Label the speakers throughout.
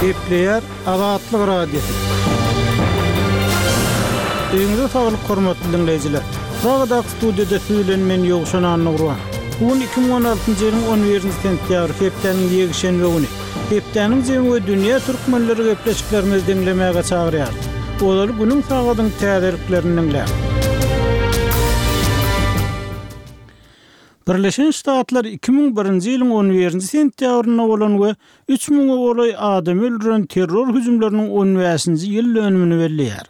Speaker 1: Gepleýär Azatlyk Radiosy. Öýüňize saglyk hormatly diňleýjiler. Pragadaky studiýada siz bilen men Ýowşan Annagurban. Bu gün 2016-njy ýylyň 11-nji sentýabry, hepdäniň ýekşenbe güni. Hepdäniň jemi we dünýä türkmenleri gepleşiklerimizi diňlemäge çagyrýarys. Ozaly günüň sagadyň täzeliklerini diňläň. Birleşen Ştatlar 2001-nji ýylyň on birinji sentýabrynda bolan we üç müňe golaý adamy öldüren terror hüjümleriniň on bäşinji ýyl dönümini belleýär.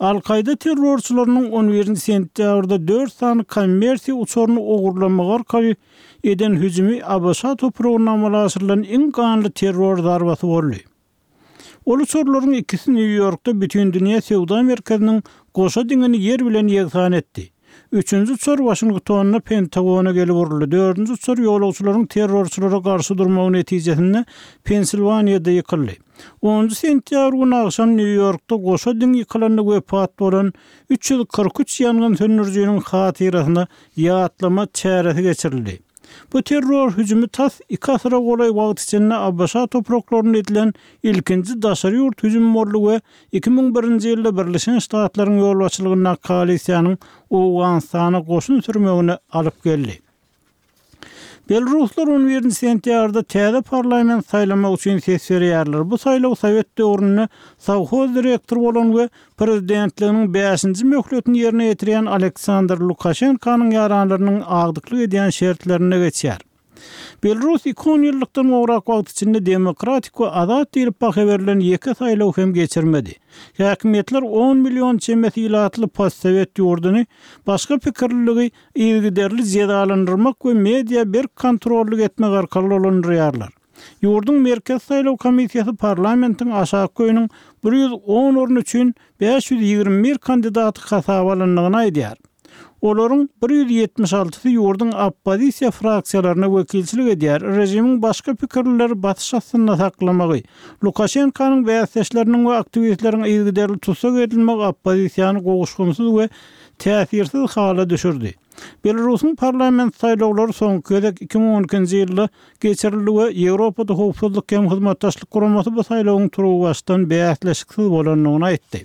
Speaker 1: Al-Kaýda terrorçylarynyň on birinji sentýabrda dört sany kommersiýa uçaryny ogurlamagy arkaly eden hüjümi ABŞ topragynda amala aşyrylan iň ganly terror zarbasy boldy. Ol uçarlaryň ikisi Nýu-Ýorkda Bütindünýä söwda merkeziniň goşa diňini ýer bilen ýegsan etdi. Üçünji uçar Waşingtonda Pentagona gelip uruldy, dördünji uçar ýolagçylaryň terrorçylara garşy durmagy netijesinde Pensilwaniýada ýykyldy. Onunjy sentýabr güni agşam Nýu-Ýorkda goşa diň ýykylanda wepat bolan 343 ýangyn söndürijiniň hatyrasyna ýatlama çäresi geçirildi. Bu terror hüjümi tas iki asyra golaý wagt içinde ABŞ topraklarynda edilen ilkinji daşary ýurt hüjümi boldy we 2001-nji ýylda Birleşen Ştatlaryň ýolbaşçylygyndaky koalisiýanyň Owganystana goşun sürmegine alyp geldi. Belaruslar on birinji sentýabrda täze parlament saýlamak üçin ses berýärler. Bu saýlaw sowet döwründe sowhoz direktory bolan we Prezidentliginiň bäşinji möhletini ýerine ýetirýän Aleksandr Lukaşenkanyň ýaranlarynyň agdyklyk edýän şertlerinde geçýär. Belarus iki onýyllykdan gowrak wagt içinde demokratik we azat diýlip baha berlen ýeke saýlaw hem geçirmedi. Häkimiýetler on million çemesi ilatly postsowet ýurduny başga pikirliligi yzygiderli jezalandyrmak we media berk kontrollyk etmek arkaly dolandyrýarlar. Ýurduň Merkezi saýlaw komissiýasy parlamentiň aşaky öýüniň 110 orny üçin 521 kandidaty hasaba alandygyny aýdýar. Olaryň 176-sy ýurduň oppozisiýa fraksiýalaryna wekilçilik edýär, režimiň başga pikirlileri basyş astynda saklamagy, Lukaşenkanyň bäsdeşleriniň we aktiwistleriň yzygiderli tussag edilmegi oppozisiýany gowuşgynsyz we täsirsiz hala düşürdi. Belarusyň parlament saýlawlary soňky gezek 2012-nji ýylda geçirildi we Ýewropada Howpsuzlyk hem Hyzmatdaşlyk Guramasy bu saýlawyň turuwbaşdan bäsleşiksiz bolandygyny aýtdy.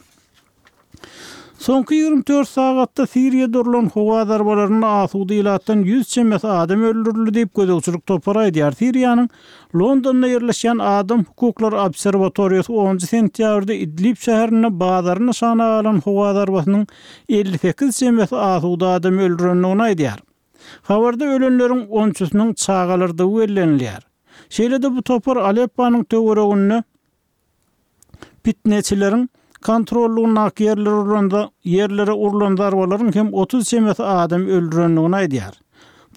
Speaker 1: Soňky 24 sagatda Siriýada urlan howa zarbalarynda asuda ilatdan ýüz çemesi adam öldürildi diýip, gözegçilik topary aýdýar. Siriýanyň Londonda ýerleşýän Adam hukuklary obserwatoriýasy onunjy sentýabrda Idlib şäherinde bazary nyşana alan howa zarbasynyň 58 çemesi asuda adamy öldürendigini aýdýar. Habarda ölenleriň onçusynyň çagalardygy bellenilýär. Şeýle-de bu topar Alepponyň töwereginde pitneçileriň kontrollygyndaky ýerlere urlan ýerlere urlan zarbalaryň hem 30 çemesi adamy öldürendigini aýdýar.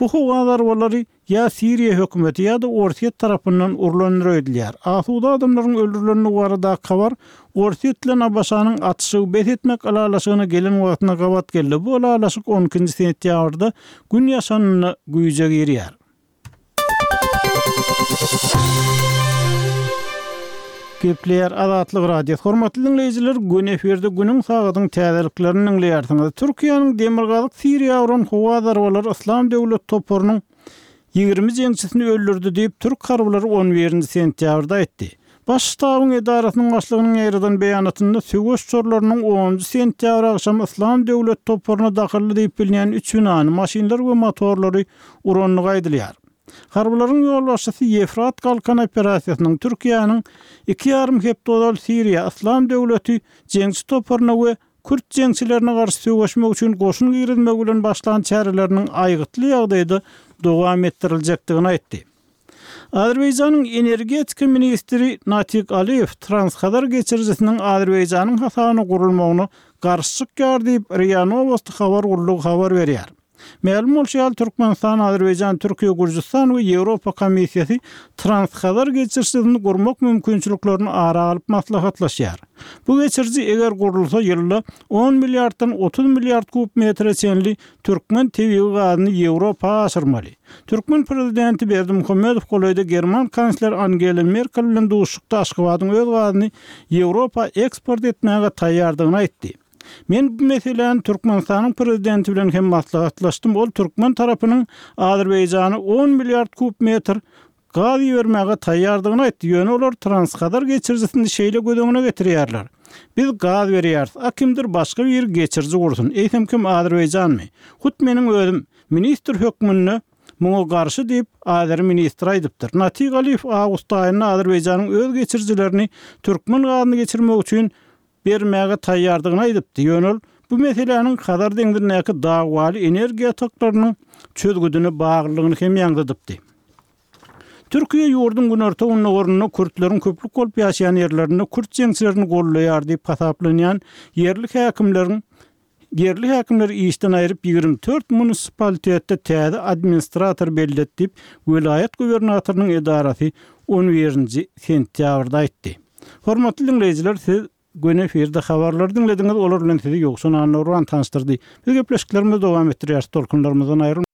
Speaker 1: Bu howa zarbalary ýa Siriýa hökümeti ýa-da Orsýet tarapyndan urlandyr öýdülýär. Asuda adamlaryň öldürilendigi baradaky habar Orsýet bilen ABŞ-nyň atyşygy bes etmek ylalaşygyna gelen wagtyna gabat geldi. Bu ylalaşyk on ikinji sentýabrda Gün ýaşanynda güýje girýär. Gepleýär Azatlyk Radiosy. Hormatly diňleýjiler, göni efirde günüň sagadyň täzeliklerini diňleýärsiňiz. Türkiýäniň demirgazyk Siriýa uran howa zarbalary Yslam döwlet toparynyň 20 jeňçisini öldürdi diýip, türk harbylary on birinji sentýabrda aýtdy. Baş ştabyň edarasynyň başlygynyň ýaýradan beýanatynda söweş uçarlarynyň onunjy sentýabr agşamy Yslam döwlet toparyna dahylly diýip bilinýän üç binany, maşynlar we motorlary urandygy aýdylýar. Harbylaryň ýolbaşçysy Ýefrat Galkany operasiýasynyň Türkiýäniň iki ýarym hepde ozal Siriýa Yslam döwleti jeňçi toparyna we kürt jeňçilerine garşy söweşmek üçin goşun girizmegi bilen başlan çäreleriniň aýgytly ýagdaýda dowam etdiriljekdigini aýtdy. Azerbaýjanyň energetika ministri Natik Aliýew Transhazar geçirijisiniň Azerbaýjanyň hasabyna gurulmagyna garşy çykýar diýip, RIA Nowosti habar gullugy habar berýär. Mälim bolşy ýaly, Türkmenistan, Azerbaýjan, Türkiýe, Gürjüstan we Ýewropa Komissiýasy Transhazar geçirijisini gurmak mümkinçiliklerini ara alyp maslahatlaşýar. Bu geçiriji eger gurulsa ýylda on milliarddan 30 milliard kub metre çenli türkmen tebigy gazyny Ýewropa aşyrmaly. Türkmen prezidenti Berdimuhamedow golaýda german kansleri Angela Merkel bilen duşuşykda Aşgabadyň öz gazyny Ýewropa eksport etmäge taýýardygyny aýtdy. Men bu meseläni Türkmenistanyň prezidenti bilen hem maslahatlaşdym, ol türkmen tarapynyň Azerbaýjana on milliard kub metr. Gaz ibermäge taýýardygyny aýtdy, ýöne olar Transhazar geçirijisini şeýle göz öňüne getirýärler. Biz gaz berýäris, a kimdir başga biri geçiriji gursun, eýsem kim Azerbaýjanmy? Hut meniň özüm, ministr hökmünde muňa garşy diýip, azeri ministri aýdypdyr. Natig Aliýew awgust aýynda Azerbaýjanyň öz geçirijilerini türkmen gazyny geçirmek üçin bermäge taýýardygyny aýdypdy, ýöne ol bu meseläniň Hazar deňzindäki dawaly energiýa ýataklarynyň çözgüdine baglylygyny hem ýaňzydypdy. Türkiýe ýurduň günorta-gündogarynda kürtleriň köplük bolup ýaşaýan ýerlerinde kürt jeňçilerini goldaýar diýip hasaplanýan ýerli häkimleriň ýerli häkimleri işden aýryp, 24 munisipalitetde täze administrator belledi diýip, welaýat gubernatorynyň edarasy on birinji sentýabrda aýtdy. Hormatly diňleýjiler, siz göni efirde habarlary diňlediňiz, olar bilen sizi Ýowşan Annagurban tanyşdyrdy. Biz gepleşiklerimizi dowam etdirýäris, tolkunlarymyzdan aýrylmaň.